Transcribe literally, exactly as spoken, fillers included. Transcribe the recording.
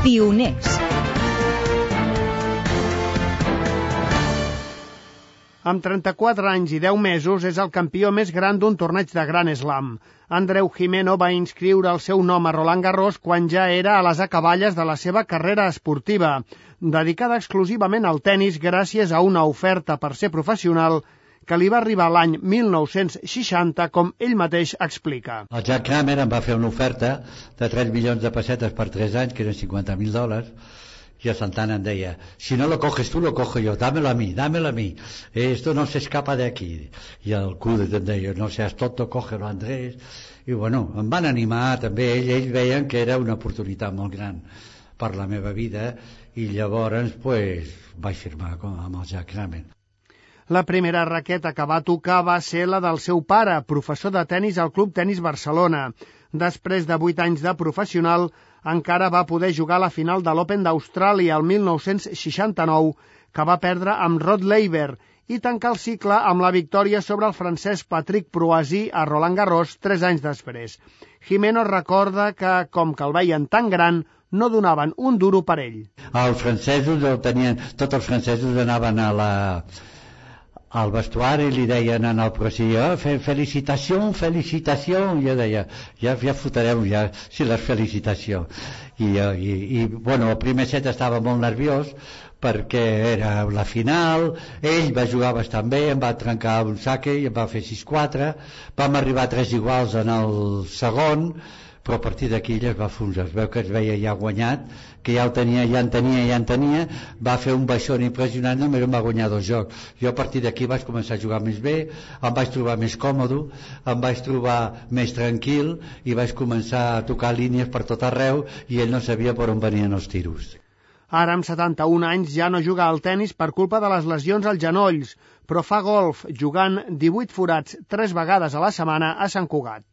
Pioners. Amb trenta-quatre anys i deu mesos és el campió més gran d'un torneig de Grand Slam. Andreu Gimeno va inscriure el seu nom a Roland Garros quan ja era a les acaballes de la seva carrera esportiva, dedicada exclusivament al tennis gràcies a una oferta per ser professional que li va arribar l'any mil nou-cents seixanta, com ell mateix explica. El Jack Kramer em va fer una oferta de tres milions de pessetes per tres anys, que eren cinquanta mil dòlars, y a Santana em deia, si no lo coges tú, lo cojo yo, dámelo a mí, dámelo a mí, esto no se escapa de aquí. I el Cudet em deia, no seas tonto, cógelo, Andrés. I bueno, em van animar també, ells, ells veien que era una oportunitat molt gran per la meva vida, i llavors pues, vaig firmar amb el Jack Kramer. La primera raqueta que va tocar va ser la del seu pare, professor de tennis al Club Tenis Barcelona. Després de vuit anys de professional, encara va poder jugar a la final de l'Open d'Austràlia el mil nou-cents seixanta-nou, que va perdre amb Rod Laver, i tancar el cicle amb la victòria sobre el francès Patrick Proazy a Roland Garros tres anys després. Gimeno recorda que, com que el veien tan gran, no donaven un duro per ell. Els francesos el tenien, tots els francesos anaven a la... al vestuari li deien en el Proazy, oh, felicitació, felicitació, i jo deia, ja, ja fotrem ja, si les felicitació. I, i, i bueno, el primer set estava molt nerviós perquè era la final, ell va jugar bastant bé, em va trencar un saque i em va fer sis quatre, vam arribar a tres iguals en el segon, però a partir d'aquí ell es va fondre, es veu que es veia ja guanyat, que ja el tenia, ja en tenia, ja en tenia, va fer un baixón impressionant, només em va guanyar dos jocs. Jo a partir d'aquí vaig començar a jugar més bé, em vaig trobar més còmode, em vaig trobar més tranquil i vaig començar a tocar línies per tot arreu i ell no sabia per on venien els tiros. Ara, amb setanta-un anys, ja no juga al tennis per culpa de les lesions als genolls, però fa golf, jugant divuit forats tres vegades a la setmana a Sant Cugat.